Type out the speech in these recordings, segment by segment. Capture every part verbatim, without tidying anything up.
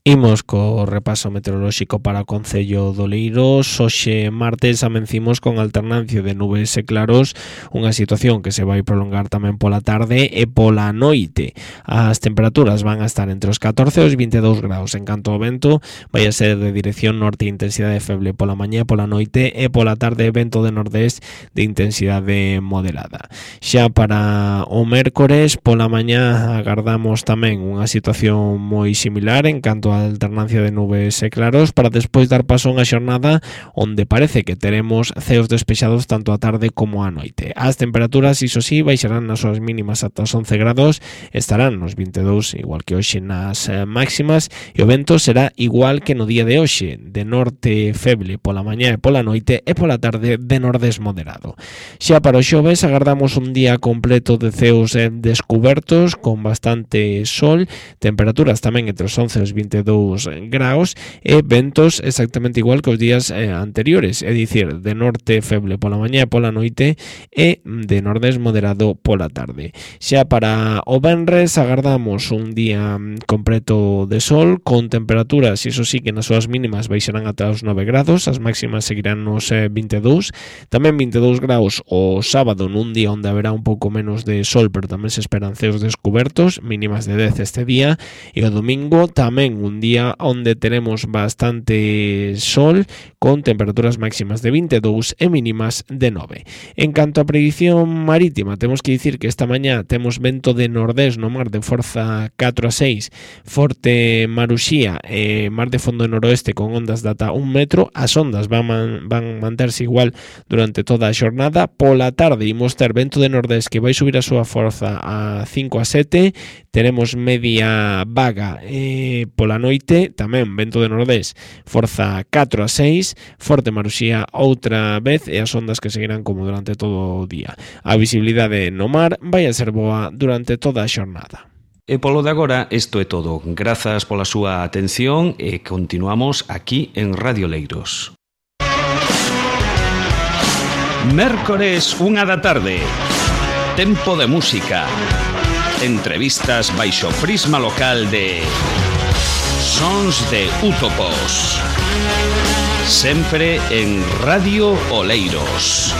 Imos co repaso meteorolóxico para o Concello de Oleiros. Hoxe martes amencimos con alternancia de nubes e claros, unha situación que se vai prolongar tamén pola tarde e pola noite. As temperaturas van a estar entre os catorce e os vinte e dous graus. En canto ao vento, vai a ser de dirección norte e intensidade feble pola mañá e pola noite, e pola tarde vento de nordés de intensidade moderada. Xa para o mércores pola mañá agardamos tamén unha situación moi similar en canto a alternancia de nubes e claros, para despois dar paso a unha xornada onde parece que teremos ceos despexados tanto a tarde como a noite. As temperaturas, iso sí, baixarán nas súas mínimas ata os once grados, estarán nos vinte e dous igual que hoxe nas eh, máximas, e o vento será igual que no día de hoxe, de norte feble pola mañá e pola noite, e pola tarde de nordés moderado. Xa para o xoves agardamos un día completo de ceos eh, descubertos con bastante sol, temperaturas tamén entre os once e os vinte e dous graus, e ventos exactamente igual que os días eh, anteriores, é dicir, de norte feble pola mañá e pola noite e de nordés moderado pola tarde. Xa para o venres agardamos un día completo de sol con temperaturas, iso sí, que nas súas mínimas baixarán ata os nove grados, as máximas seguirán nos eh, vinte e dous, tamén vinte e dous graus o sábado, nun día onde haberá un pouco menos de sol, pero tamén se esperan ceos descubertos, mínimas de dez este día, e o domingo tamén un día onde teremos bastante sol con temperaturas máximas de vinte e dous e mínimas de nove. En canto a predición marítima, temos que dicir que esta mañá temos vento de nordés no mar de forza catro a seis, forte Maruxía e mar de fondo noroeste con ondas de ata un metro. As ondas van, man, van manterse igual durante toda a xornada. Pola tarde imos ter vento de nordés que vai subir a súa forza a cinco a sete, teremos media vaga e pola noite tamén vento de nordés, forza catro a seis, forte Maruxía outra vez, e as ondas que seguirán como durante todo o día. A visibilidade no mar vai a ser boa durante toda a xornada. E polo de agora, isto é todo. Grazas pola súa atención e continuamos aquí en Radio Leiros. Mércores, unha da tarde. Tempo de música. Entrevistas baixo prisma local de Sons de Útopos. Sempre en Radio Oleiros.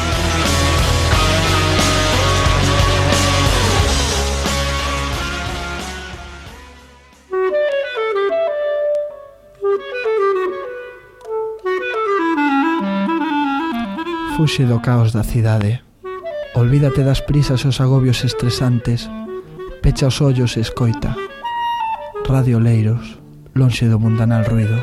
Fuxe do caos da cidade. Olvídate das prisas e os agobios estresantes. Pecha os ollos e escoita. Radio Oleiros, lonxe do mundanal ruido.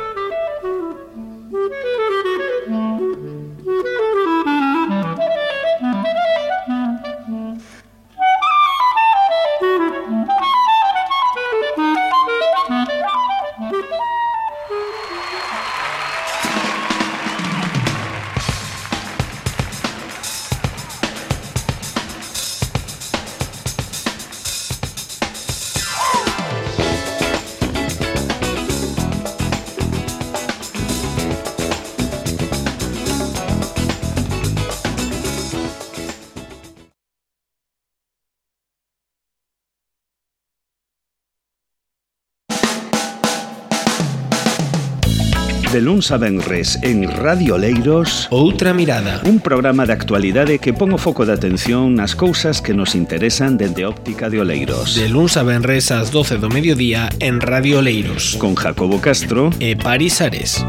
De luns a venres en Radio Oleiros, Outra mirada. Un programa de actualidade que pon o foco de atención nas cousas que nos interesan dende óptica de Oleiros. De luns a venres ás doce do mediodía en Radio Oleiros. Con Jacobo Castro e Paris Ares.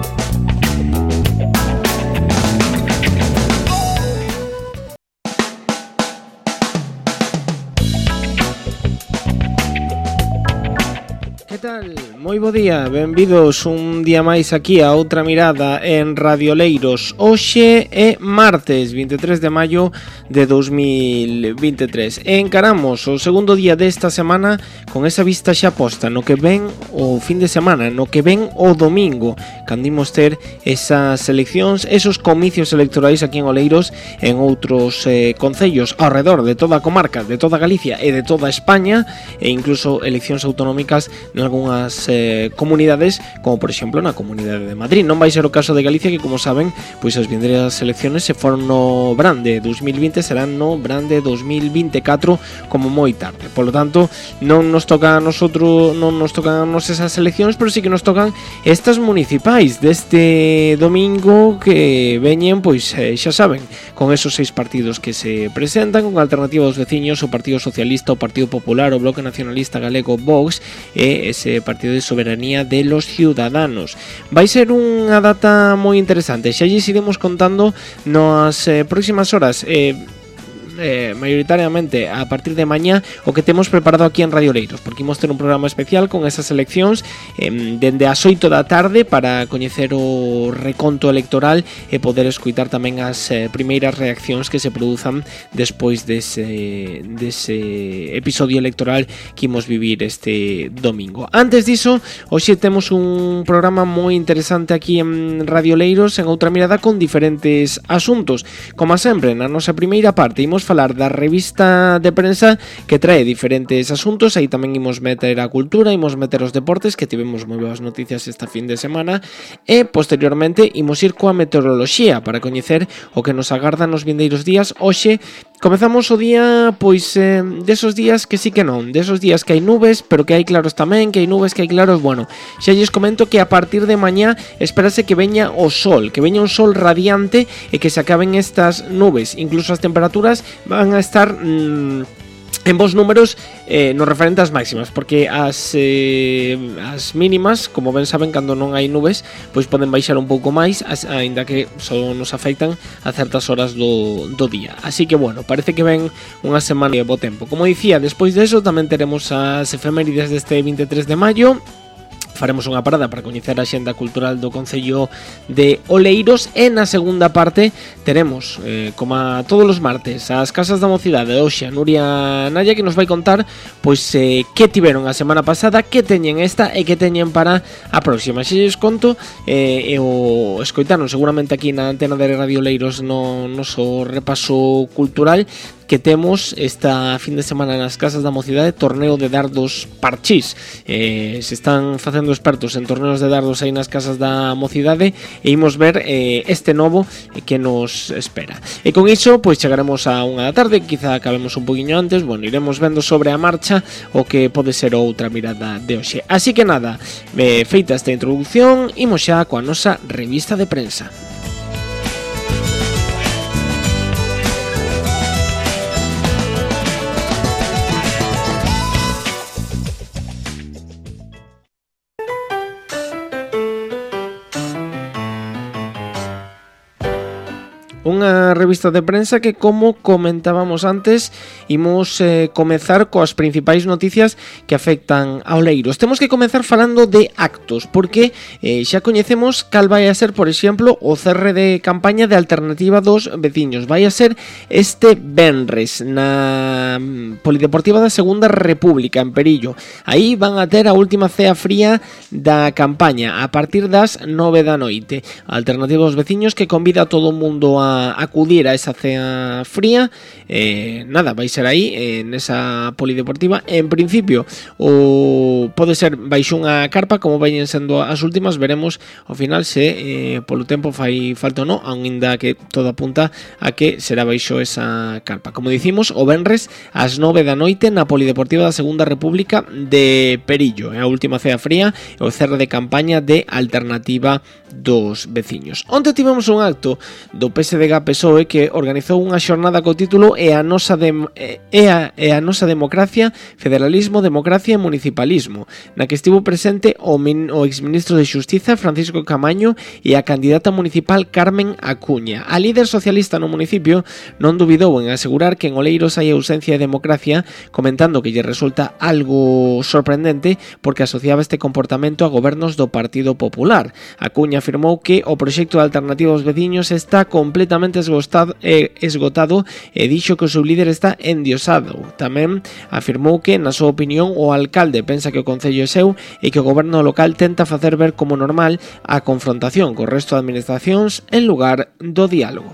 Que tal? Moi bo día, benvidos un día máis aquí a Outra mirada en Radio Oleiros. Hoxe é martes vinte e tres de maio de dos mil vinte e tres e encaramos o segundo día desta semana con esa vista xa posta no que ven o fin de semana, no que ven o domingo, cando imos ter esas eleccións, esos comicios electorais aquí en Oleiros, en outros eh, concellos ao redor de toda a comarca, de toda Galicia e de toda España, e incluso eleccións autonómicas nalgúnas eh, eh, comunidades, como por exemplo na Comunidade de Madrid. Non vai ser o caso de Galicia, que como saben, pois as vindeiras eleccións se foron no verán de dos mil vinte, serán no verán de dos mil vinte e catro como moi tarde. Por lo tanto, non nos toca a nosotros, non nos tocan a nos esas eleccións, pero sí que nos tocan estas municipais deste domingo que veñen, pois eh, xa saben, con esos seis partidos que se presentan, con Alternativa aos Veciños, o Partido Socialista, o Partido Popular, o Bloque Nacionalista Galego, Vox e ese Partido de Soberanía de los Ciudadanos. Vai ser unha data moi interesante, xa lles iremos contando nas eh, próximas horas. eh, Eh, maioritariamente a partir de mañá o que temos preparado aquí en Radio Leiros, porque imos ter un programa especial con esas eleccións eh, dende as oito da tarde para coñecer o reconto electoral e poder escutar tamén as eh, primeiras reaccións que se produzan despois dese, dese episodio electoral que imos vivir este domingo. Antes diso, hoxe temos un programa moi interesante aquí en Radio Leiros, en Outra Mirada, con diferentes asuntos. Como sempre, na nosa primeira parte imos falar da revista de prensa que trae diferentes asuntos. Aí tamén imos meter a cultura, imos meter os deportes, que tivemos moi boas noticias esta fin de semana, e posteriormente imos ir coa meteoroloxía para coñecer o que nos agarda nos vindeiros días. Hoxe comezamos o día, pois, eh, desos días que sí que non, desos días que hai nubes, pero que hai claros tamén, que hai nubes, que hai claros. Bueno, xa lles comento que a partir de mañá espérase que veña o sol, que veña un sol radiante e que se acaben estas nubes. Incluso as temperaturas van a estar mmm, en bons números eh, no referente ás máximas, porque as, eh, as mínimas, como ben saben, cando non hai nubes, pois poden baixar un pouco máis, as, aínda que só nos afectan a certas horas do, do día. Así que, bueno, parece que ven unha semana de bo tempo. Como dicía, despois deso tamén teremos as efemérides deste vinte e tres de maio. Faremos unha parada para coñecer a xenda cultural do Concello de Oleiros e na segunda parte teremos, eh, como a todos os martes, as Casas da Mocidade. Hoxe a Nuria Naya, que nos vai contar pois eh, que tiveron a semana pasada, que teñen esta e que teñen para a próxima. Se lles conto, eh, e o escoitaron seguramente aquí na antena de Radio Leiros no noso repaso cultural, que temos esta fin de semana nas Casas da Mocidade torneo de dardos parchís. Eh, se están facendo expertos en torneos de dardos aí nas Casas da Mocidade e imos ver eh, este novo que nos espera. E con iso, pois chegaremos a unha da tarde, quizá acabemos un poquinho antes. Bueno, iremos vendo sobre a marcha o que pode ser outra mirada de hoxe. Así que nada, eh, feita esta introducción, imos xa coa nosa revista de prensa. Unha revista de prensa que, como comentábamos antes, imos eh, comezar coas principais noticias que afectan a Oleiros. Temos que comezar falando de actos, porque eh, xa coñecemos cal vai a ser, por exemplo, o cerre de campaña de Alternativa dos Veciños. Vai a ser este venres na Polideportiva da Segunda República, en Perillo. Aí van a ter a última cea fría da campaña a partir das nove da noite. A Alternativa dos Veciños, que convida a todo o mundo a acudir a esa cea fría. Eh, nada, vai ser aí en esa polideportiva. En principio o pode ser baixo unha carpa, como vayan sendo as últimas. Veremos ao final se eh, polo tempo fai falta ou non, aínda que todo apunta a que será baixo esa carpa. Como dicimos, o venres ás nove da noite na Polideportiva da Segunda República de Perillo. É a última cea fría e o cerre de campaña de Alternativa dos Veciños. Onte tivemos un acto do P S D G P S O E que organizou unha xornada co título E a nosa de, e a, e a nosa democracia, federalismo, democracia e municipalismo, na que estivo presente o, min, o exministro de Xustiza Francisco Camaño e a candidata municipal Carmen Acuña. A líder socialista no municipio non dubidou en asegurar que en Oleiros hai ausencia de democracia, comentando que lle resulta algo sorprendente porque asociaba este comportamento a gobernos do Partido Popular. Acuña afirmou que o proxecto de Alternativa aos Veciños está completamente esgotado, eh, esgotado e dixo que o seu líder está endiosado. Tamén afirmou que, na súa opinión, o alcalde pensa que o concello é seu e que o goberno local tenta facer ver como normal a confrontación co resto de administracións en lugar do diálogo.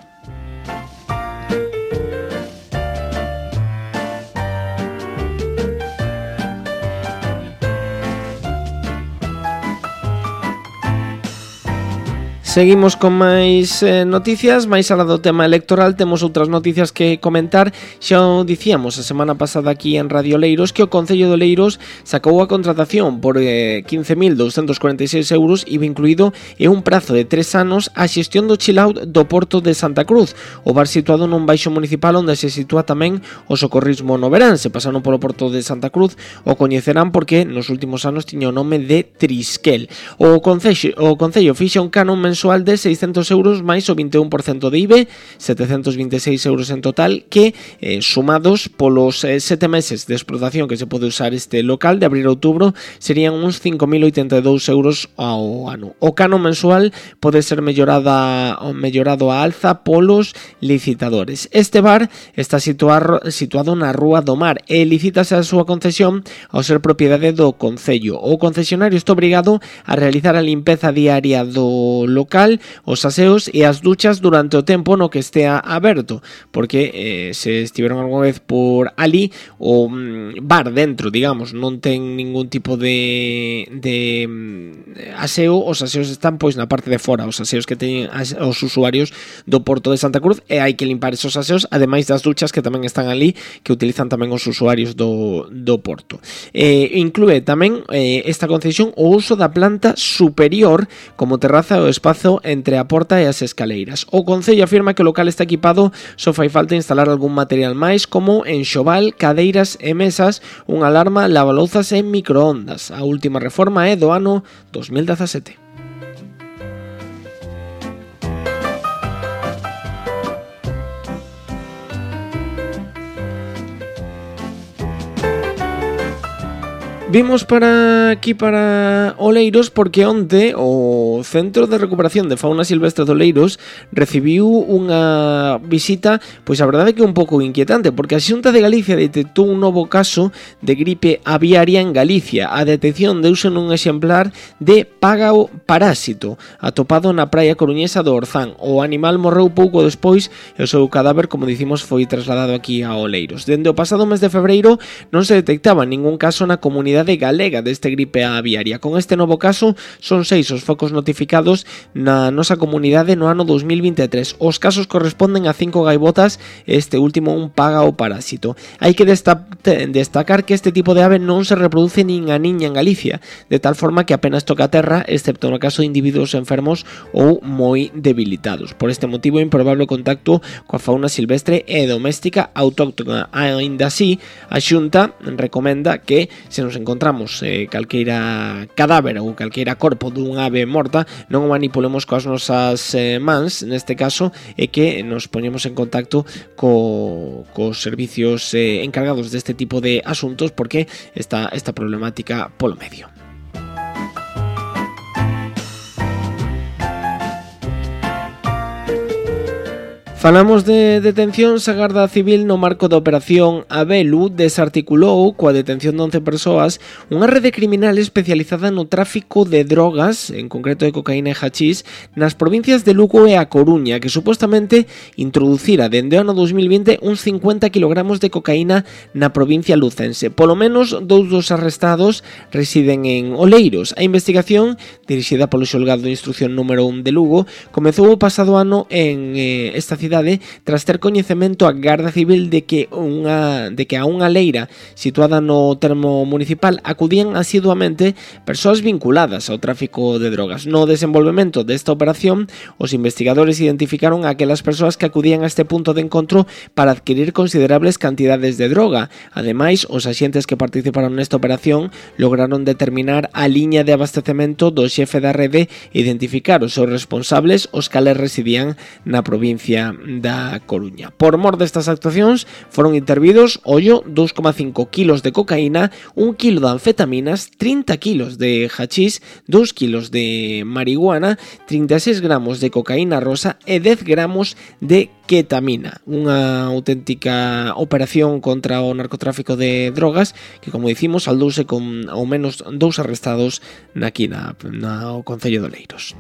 Seguimos con máis eh, noticias. Máis alá do tema electoral, temos outras noticias que comentar. Xa o dicíamos a semana pasada aquí en Radio Leiros que o Concello de Leiros sacou a contratación por eh, quince mil douscentos cuarenta e seis euros e incluído en un prazo de tres anos a xestión do chill out do Porto de Santa Cruz, o bar situado nun baixo municipal onde se sitúa tamén o socorrismo no verán. Se pasaron polo Porto de Santa Cruz o coñecerán porque nos últimos anos tiña o nome de Trisquel. O Concello, o Concello fixa un canon mensual de seiscentos euros máis o vinte e un por cento de I V E, setecentos vinte e seis euros en total, que eh, sumados polos eh, sete meses de explotación que se pode usar este local de abril a outubro serían uns cinco mil oitenta e dous euros ao ano. O canon mensual pode ser mellorada, mellorado a alza polos licitadores. Este bar está situar, situado na Rúa do Mar e licítase a súa concesión ao ser propiedade do Concello. O concesionario está obrigado a realizar a limpeza diaria do local, os aseos e as duchas durante o tempo no que estea aberto, porque eh, se estiveron alguna vez por ali o mm, bar dentro, digamos, non ten ningún tipo de, de mm, aseo, os aseos están pois na parte de fora, os aseos que teñen as, os usuarios do Porto de Santa Cruz, e hai que limpar esos aseos, ademais das duchas que tamén están ali, que utilizan tamén os usuarios do, do Porto. Eh, inclúe tamén eh, esta concesión o uso da planta superior como terraza o espazo entre a porta e as escaleiras. O Concello afirma que o local está equipado, só fai falta instalar algún material máis como enxoval, cadeiras e mesas, unha alarma, lavalouzas e microondas. A última reforma é do ano dos mil dezasete. Vimos para aquí para Oleiros porque onte o Centro de Recuperación de Fauna Silvestre de Oleiros recibiu unha visita, pois a verdade que un pouco inquietante, porque a Xunta de Galicia detectou un novo caso de gripe aviaria en Galicia. A detección deuse nun exemplar de págao parásito atopado na praia coruñesa do Orzán. O animal morreu pouco despois e o seu cadáver, como dicimos, foi trasladado aquí a Oleiros. Dende o pasado mes de febreiro non se detectaba ningún caso na comunidade galega deste gripe aviaria. Con este novo caso son seis os focos notificados na nosa comunidade no ano dos mil vinte e tres. Os casos corresponden a cinco gaivotas e este último un págao parásito. Hai que desta- destacar que este tipo de ave non se reproduce nin a niña en Galicia, de tal forma que apenas toca a terra, excepto no caso de individuos enfermos ou moi debilitados. Por este motivo, improbable contacto coa fauna silvestre e doméstica autóctona. Aínda así, a Xunta recomenda que se nos encontramos eh, calqueira cadáver ou calqueira corpo dunha ave morta, non o manipulemos coas nosas eh, mans, neste caso, e que nos poñemos en contacto co, cos servicios eh, encargados deste tipo de asuntos, porque está esta problemática polo medio. Falamos de detencións. A Garda Civil no marco da operación Abelu desarticulou coa detención de once persoas unha rede criminal especializada no tráfico de drogas, en concreto de cocaína e hachís, nas provincias de Lugo e A Coruña, que supostamente introducira dende o ano dos mil vinte uns cincuenta kilogramos de cocaína na provincia lucense. Polo menos dous dos arrestados residen en Oleiros. A investigación, dirixida polo xulgado de instrucción número un de Lugo, comezou o pasado ano en eh, esta cidade tras ter coñecemento a Garda Civil de que unha de que a unha leira situada no termo municipal acudían asiduamente persoas vinculadas ao tráfico de drogas. No desenvolvemento desta operación, os investigadores identificaron a aquelas persoas que acudían a este punto de encontro para adquirir considerables cantidades de droga. Ademais, os axentes que participaron nesta operación lograron determinar a liña de abastecemento do xefe da rede e identificar os seus responsables, os cales residían na provincia da Coruña. Por mor destas actuacións foron intervidos, ollo, dous coma cinco kilos de cocaína, un kilo de anfetaminas, trinta kilos de hachís, dous kilos de marihuana, trinta e seis gramos de cocaína rosa e dez gramos de ketamina. Unha auténtica operación contra o narcotráfico de drogas que, como dicimos, saldouse con ao menos dous arrestados aquí na, na o Concello de Oleiros.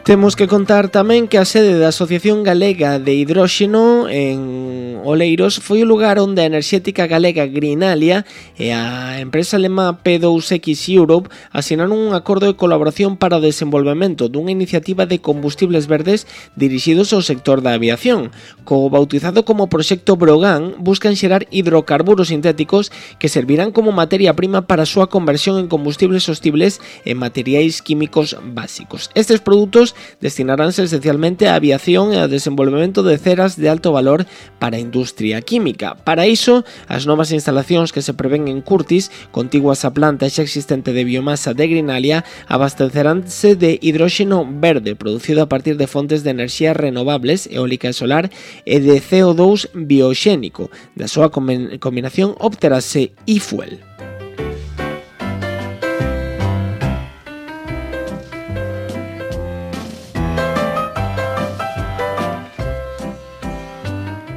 Temos que contar tamén que a sede da Asociación Galega de Hidróxeno en Oleiros foi o lugar onde a enerxética galega Greenalia e a empresa alemá P dous X Europe asinaron un acordo de colaboración para o desenvolvemento dunha iniciativa de combustibles verdes dirixidos ao sector da aviación. Co bautizado como Proxecto Brogan, buscan xerar hidrocarburos sintéticos que servirán como materia prima para a súa conversión en combustibles sostibles e materiais químicos básicos. Estes produtos destinaránse esencialmente á aviación e ao desenvolvemento de ceras de alto valor para a industria química. Para iso, as novas instalacións que se prevén en Curtis, contiguas á planta xa existente de biomasa de Greenalia, abasteceránse de hidróxeno verde producido a partir de fontes de enerxía renovables, eólica e solar, e de C O dous bioxénico. Da súa combinación obterase e-fuel.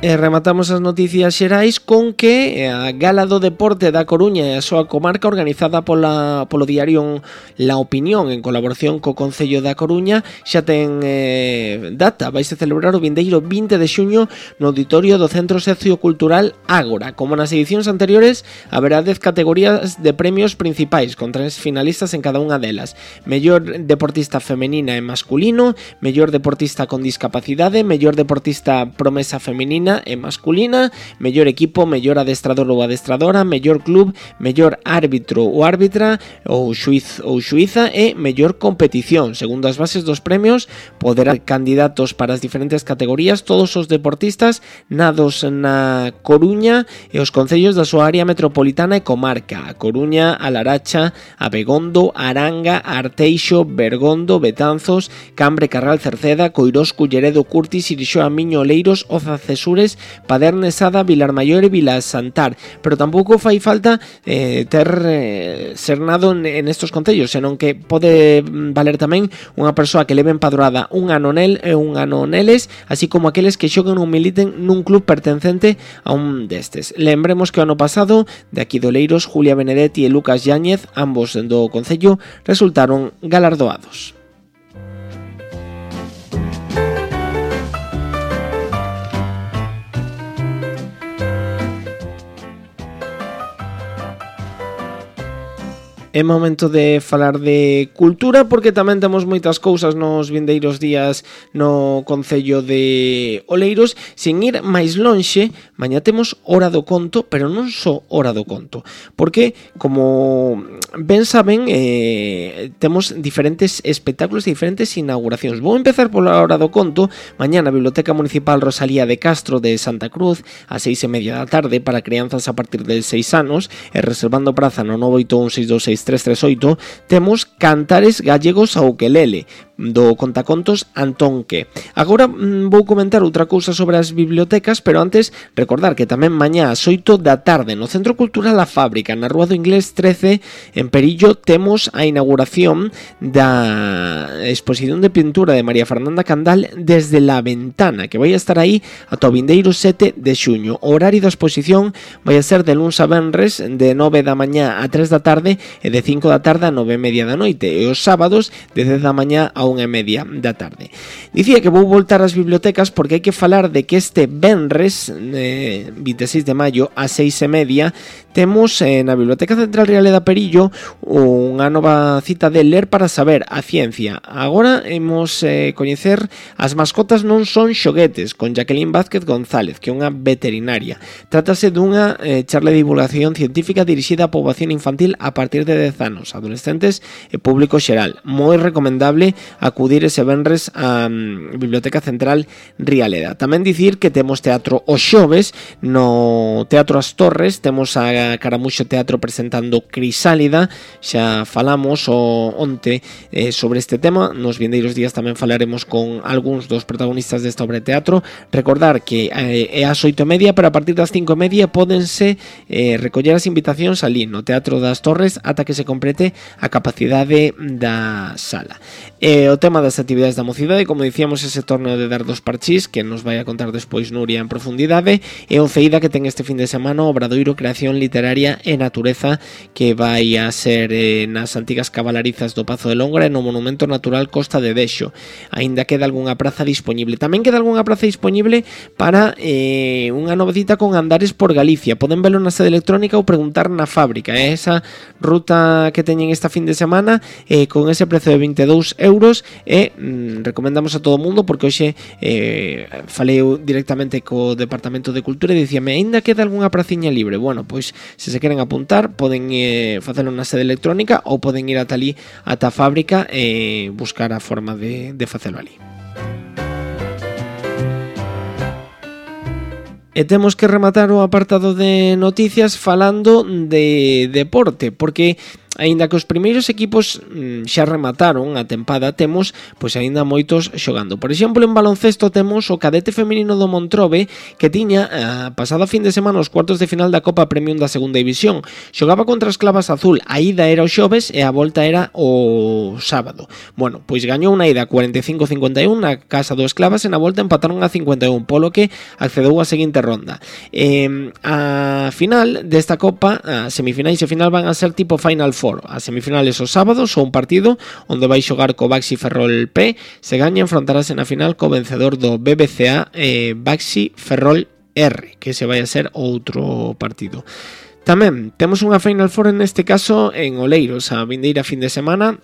E rematamos as noticias xerais con que a Gala do Deporte da Coruña e a súa comarca, organizada pola, polo diario La Opinión en colaboración co Concello da Coruña, xa ten eh, data. Vaise celebrar o vindeiro vinte de xuño no auditorio do Centro Sociocultural Ágora. Como nas edicións anteriores, haberá dez categorías de premios principais, con tres finalistas en cada unha delas: mellor deportista femenina e masculino, mellor deportista con discapacidade, mellor deportista promesa femenina e masculina, mellor equipo, mellor adestrador ou adestradora, mellor club, mellor árbitro ou árbitra ou xuiz ou xuiza e mellor competición. Segundo as bases dos premios, poderá candidatos para as diferentes categorías todos os deportistas nados na Coruña e os concellos da súa área metropolitana e comarca: a Coruña, a Laracha, a Begondo, Aranga, Arteixo, Bergondo, Betanzos, Cambre, Carral, Cerceda, Coirós, Culleredo, Curtis, Irixoa, Miño, Oleiros, Oza, Cesures, Paderne, Sada, Vilarmaior e Vilasantar. Pero tampouco fai falta eh, ter eh, ser nado en, en estos concellos, senón que pode valer tamén unha persoa que leve empadroada un ano nel e un ano neles, así como aqueles que xoguen ou militen nun club pertencente a un destes. Lembremos que o ano pasado, de aquí de Oleiros, Julia Benedetti e Lucas Yáñez, ambos do concello, resultaron galardoados. É momento de falar de cultura, porque tamén temos moitas cousas nos vindeiros días no Concello de Oleiros. Sin ir máis lonxe, mañá temos Hora do Conto, pero non só Hora do Conto, porque, como ben saben, eh, temos diferentes espectáculos e diferentes inauguracións. Vou empezar pola Hora do Conto. Mañá na Biblioteca Municipal Rosalía de Castro de Santa Cruz, a seis e media da tarde, para crianzas a partir de seis anos, e reservando praza no nove oito un seis dos seis tres tres oito, temos Cantares Gallegos ao Ukelele, do contacontos Antón Que. Agora mm, vou comentar outra cousa sobre as bibliotecas, pero antes recordar que tamén mañá ás oito da tarde no Centro Cultural A Fábrica, na Rúa do Inglés trece, en Perillo, temos a inauguración da exposición de pintura de María Fernanda Candal Desde la Ventana, que vai a estar aí ata o vindeiro sete de xuño. O horario da exposición vai a ser de luns a venres, de nove da mañá a tres da tarde e de cinco da tarde a nove e media da noite, e os sábados de dez da mañá a unha e media da tarde. Dicía que vou voltar ás bibliotecas porque hai que falar de que este venres, eh, vinte e seis de maio, a seis e media, temos eh, na Biblioteca Central Real da Perillo unha nova cita de Ler para Saber, a ciencia. Agora imos eh, coñecer As mascotas non son xoguetes, con Jacqueline Vázquez González, que é unha veterinaria. Trátase dunha eh, charla de divulgación científica dirixida á poboación infantil a partir de dez anos, adolescentes e público xeral. Moi recomendable acudir ese venres á um, Biblioteca Central Rialeda. Tamén dicir que temos teatro os xoves no Teatro As Torres, temos a Caramuxo Teatro presentando Crisálida. Xa falamos o onte eh, sobre este tema. Nos vindeiros días tamén falaremos con algúns dos protagonistas desta obra de teatro. Recordar que eh, é ás oito e media, pero a partir das cinco e media pódense eh, recoller as invitacións ali no Teatro das Torres ata que se complete a capacidade da sala. E E o tema das actividades da mocidade, como dicíamos, ese torneo de dardos parchís que nos vai a contar despois Nuria en profundidade, e o Feida que ten este fin de semana o Obradoiro Creación Literaria e Natureza, que vai a ser eh, nas antigas cabalarizas do Pazo de Longra e no Monumento Natural Costa de Dexo. Aínda queda algunha praza disponible. Tamén queda algunha praza disponible para eh, unha nova cita con Andares por Galicia. Poden velo na sede electrónica ou preguntar na fábrica. É esa ruta que teñen esta fin de semana eh, con ese prezo de veinte e dous euros e mm, recomendamos a todo o mundo porque hoxe eh, falei directamente co Departamento de Cultura e dicíame, aínda queda algunha praciña libre. Bueno, pois se se queren apuntar poden eh, facelo na sede electrónica ou poden ir ata ali, ata a fábrica e buscar a forma de, de facelo ali. E temos que rematar o apartado de noticias falando de deporte, porque aínda que os primeiros equipos mm, xa remataron a tempada, temos pois aínda moitos xogando. Por exemplo, en baloncesto temos o cadete feminino do Montrobe que tiña a pasada fin de semana os cuartos de final da Copa Premium da segunda división. Xogaba contra as Clavas Azul, a ida era o xoves e a volta era o sábado. Bueno, pois gañou unha ida cuarenta e cinco a cincuenta e un na casa do Esclavas e na volta empataron a cincuenta e un, polo que accedeu á seguinte ronda. Eh, a final desta Copa, a semifinais e final van a ser tipo Final Four. As semifinales os sábados ou un partido onde vai xogar co Baxi Ferrol P, se gaña enfrontarase na final co vencedor do B B C A eh, Baxi Ferrol R, que se vai a ser outro partido. Tamén temos unha Final Four neste caso en Oleiros a vindeira fin de semana,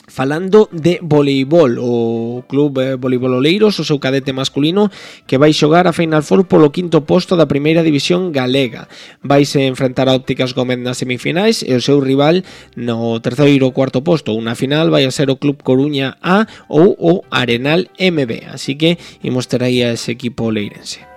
falando de voleibol, o Club eh, Voleibol Oleiros, o seu cadete masculino, que vai xogar a Final Four polo quinto posto da primeira división galega. Vaise enfrentar a Ópticas Gómez nas semifinais e o seu rival no terceiro ou cuarto posto. Unha final vai a ser o Club Coruña A ou o Arenal M B, así que imos ter aí a ese equipo oleirense.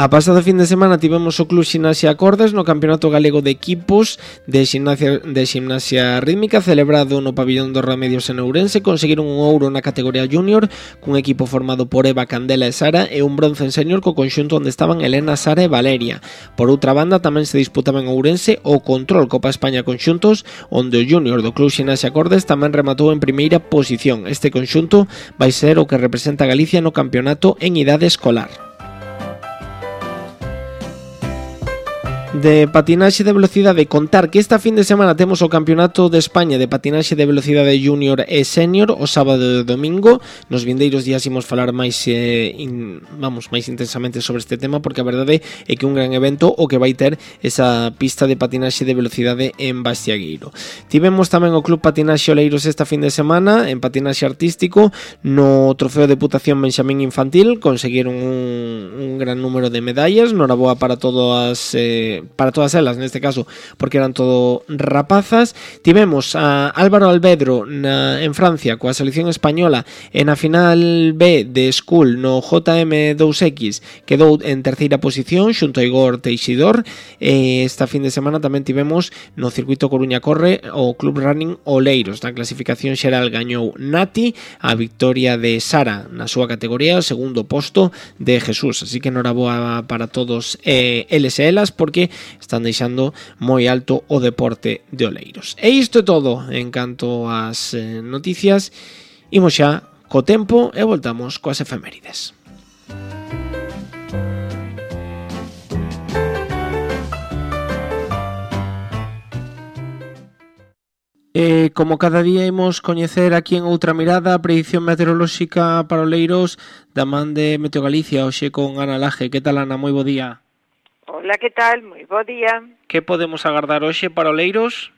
A pasado fin de semana tivemos o Club Ximnasia Acordes no Campeonato Galego de Equipos de Ximnasia, de Ximnasia Rítmica celebrado no Pabillón dos Remedios en Ourense. Conseguiron un ouro na categoría junior cun equipo formado por Eva, Candela e Sara e un bronce en senior co conxunto onde estaban Elena, Sara e Valeria. Por outra banda tamén se disputaba en Ourense o Control Copa España Conxuntos onde o junior do Club Ximnasia Acordes tamén rematou en primeira posición. Este conxunto vai ser o que representa a Galicia no campeonato en idade escolar. De patinaxe de velocidade, contar que esta fin de semana temos o Campeonato de España de patinaxe de velocidade junior e senior o sábado e domingo. Nos vindeiros días imos falar máis eh, in, vamos, máis intensamente sobre este tema porque a verdade é que un gran evento o que vai ter esa pista de patinaxe de velocidade en Bastiagueiro. Tivemos tamén o Club Patinaxe Oleiros esta fin de semana en patinaxe artístico no Trofeo de Deputación Benxamín Infantil, conseguiron un, un gran número de medallas, noraboa para todas eh, para todas elas neste caso porque eran todo rapazas. Tivemos a Álvaro Albedro na, en Francia coa selección española e na final B de School no J M dos X quedou en terceira posición xunto a Igor Teixidor. E esta fin de semana tamén tivemos no circuito Coruña Corre o Club Running Oleiros. Na clasificación xeral gañou Nati, a victoria de Sara na súa categoría, o segundo posto de Jesús, así que noraboa para todos eh, eles e elas porque están deixando moi alto o deporte de Oleiros. E isto é todo en canto ás eh, noticias. Imos xa co tempo e voltamos coas efemérides. E como cada día imos coñecer aquí en Outra Mirada a predición meteorolóxica para Oleiros da man de Meteo Galicia, hoxe con Ana Laje. Que tal, Ana? Moi bo día. Hola, que tal? Moi bo día. Que podemos agardar hoxe para Oleiros?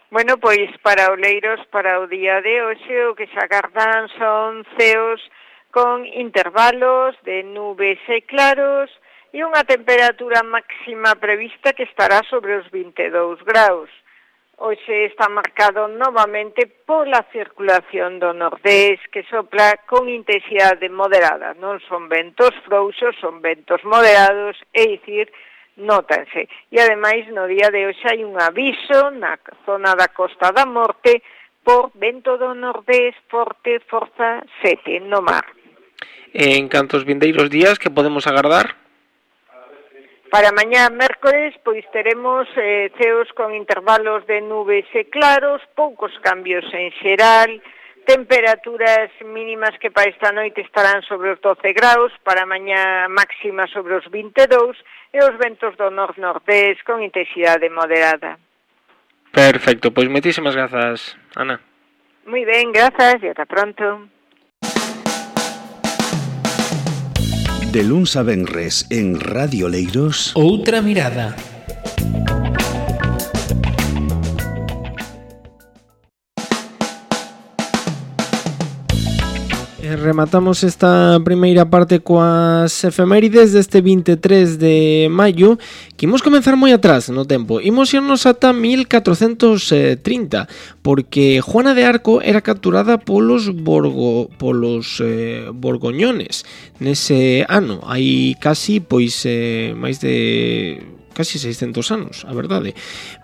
Bueno, pois para Oleiros, para o día de hoxe, o que se agardan son ceos con intervalos de nubes e claros e unha temperatura máxima prevista que estará sobre os vinte e dous graus. Hoxe está marcado novamente pola circulación do nordés que sopla con intensidade moderada. Non son ventos frouxos, son ventos moderados, é dicir, nótanse. E ademais no día de hoxe hai un aviso na zona da Costa da Morte por vento do nordés forte, forza sete no mar. En cantos vindeiros días que podemos agardar? Para mañá mércores, pois teremos eh, ceos con intervalos de nubes e claros, poucos cambios en xeral, temperaturas mínimas que para esta noite estarán sobre os doce graus, para mañá máxima sobre os vinte e dous, e os ventos do nor-nordés con intensidade moderada. Perfecto, pois moitísimas grazas, Ana. Moi ben, grazas e ata pronto. De luns a venres en Radio Leiros, Outra mirada. Rematamos esta primeira parte coas efemérides deste vinte e tres de maio, que imos comenzar moi atrás no tempo. Imos irnos ata mil catrocentos trinta, porque Juana de Arco era capturada polos borgo, polos eh, borgoñones nese ano. Hai casi, pois, eh, máis de casi seiscentos anos, a verdade.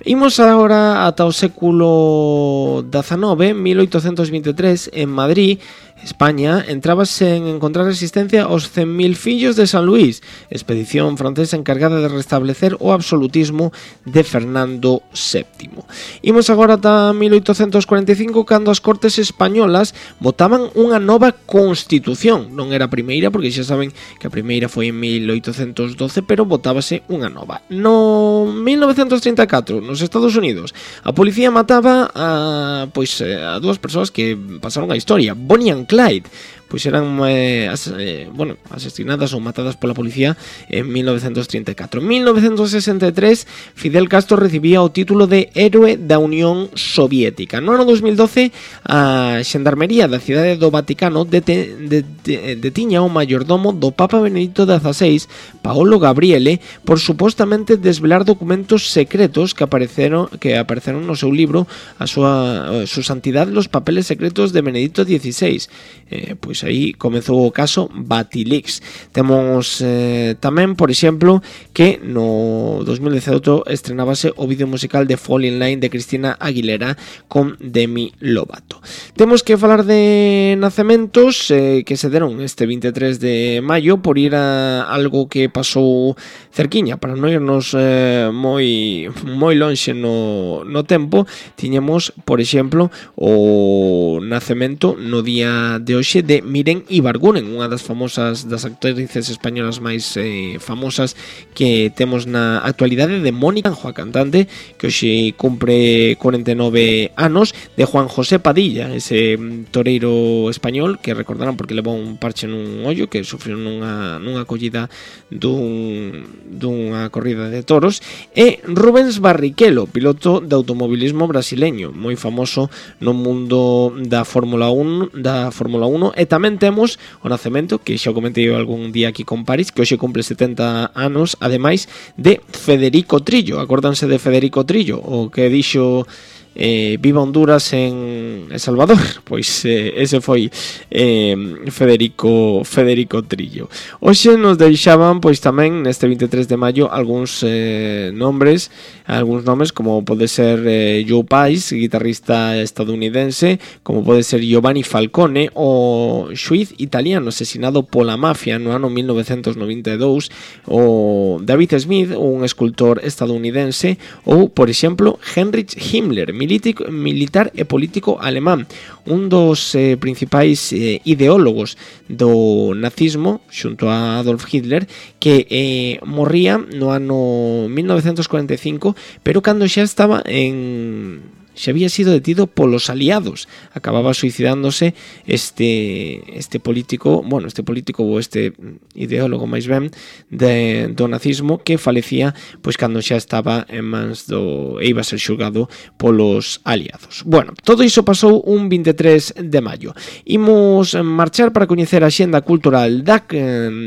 Imos agora ata o século dezenove, mil oitocentos vinte e tres, en Madrid, España, entrábase en encontrar resistencia aos cen mil fillos de San Luís, expedición francesa encargada de restablecer o absolutismo de Fernando séptimo. Imos agora ata mil oitocentos cuarenta e cinco, cando as Cortes españolas votaban unha nova Constitución. Non era a primeira, porque xa saben que a primeira foi en mil oitocentos doce, pero votábase unha nova. No mil novecentos trinta e catro, nos Estados Unidos, a policía mataba a, pois, a dúas persoas que pasaron a historia, Bonnie and Clyde, pois eran eh, as, eh, bueno, asesinadas ou matadas pola policía en mil novecentos trinta e catro. En mil novecentos sesenta e tres, Fidel Castro recibía o título de Héroe da Unión Soviética. No ano dos mil doce, a Xendarmería da cidade do Vaticano dete, de, de, detiña o mayordomo do Papa Benedicto dieciséis, Paolo Gabriele, por supostamente desvelar documentos secretos que apareceron que apareceron no seu libro a súa a su santidad los papeles secretos de Benedicto dieciséis. Eh, pois aí comezou o caso Batilix. Temos eh, tamén, por exemplo, que no dos mil dezaoito estrenábase o vídeo musical de Fall in Line de Cristina Aguilera con Demi Lovato. Temos que falar de nacementos eh, que se deron este vinte e tres de maio, por ir a algo que pasou cerquiña, para non irnos eh, moi moi lonxe no, no tempo. Tiñamos, por exemplo, o nacemento no día de hoxe de Miren Ibarguren, unha das famosas das actrices españolas máis eh, famosas que temos na actualidade, de Mónica Anjo, a cantante, que hoxe cumpre cuarenta e nove anos, de Juan José Padilla, ese toreiro español que recordarán porque levou un parche nun ollo, que sufriu nunha, nunha collida dun, dunha corrida de toros, e Rubens Barrichello, piloto de automobilismo brasileño, moi famoso no mundo da Fórmula uno, da Fórmula uno, e tamén temos o nacemento, que xa o comentei algún día aquí con París, que hoxe cumple setenta anos, ademais de Federico Trillo. Acórdanse de Federico Trillo, o que dixo eh, viva Honduras en El Salvador? Pois eh, ese foi eh, Federico Federico Trillo. Hoxe nos deixaban, pois tamén neste vinte e tres de maio, algúns eh, nombres, algúns nomes, como pode ser eh, Joe Paez, guitarrista estadounidense, como pode ser Giovanni Falcone, o xuiz italiano asesinado pola mafia no ano mil novecentos noventa e dous, o David Smith, un escultor estadounidense, ou, por exemplo, Heinrich Himmler, milítico, militar e político alemán, un dos eh, principais eh, ideólogos do nazismo xunto a Adolf Hitler, que eh, morría no ano mil novecentos cuarenta e cinco, pero cando xa estaba en... xa había sido detido polos aliados. Acababa suicidándose este este político, bueno, este político ou este ideólogo máis ben de, do nazismo, que falecía pois cando xa estaba en mans do e iba a ser xulgado polos aliados. Bueno, todo iso pasou un vinte e tres de maio. Imos marchar para coñecer a xenda cultural da,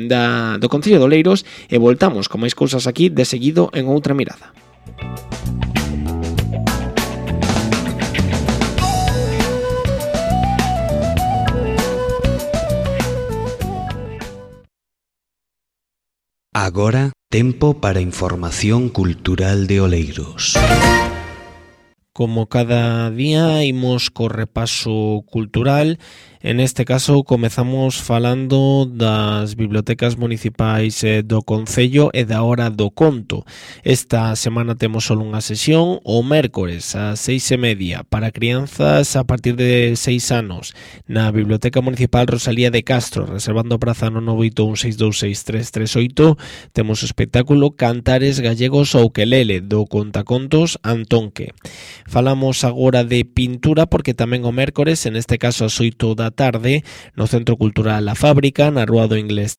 da, do Concello de Oleiros e voltamos con máis cousas aquí de seguido en Outra Mirada. Agora, tempo para información cultural de Oleiros. Como cada día imos co repaso cultural, En este caso comezamos falando das bibliotecas municipais do Concello e da Hora do Conto. Esta semana temos só unha sesión o mércores ás seis e media para crianzas a partir de seis anos na Biblioteca Municipal Rosalía de Castro, reservando praza no nove oito un seis dous seis tres tres oito. Temos o espectáculo Cantares Gallegos ao Ukelele do contacontos Antonque. Falamos agora de pintura porque tamén o mércores, en este caso ás oito da tarde, no Centro Cultural La Fábrica, na Rúa do Inglés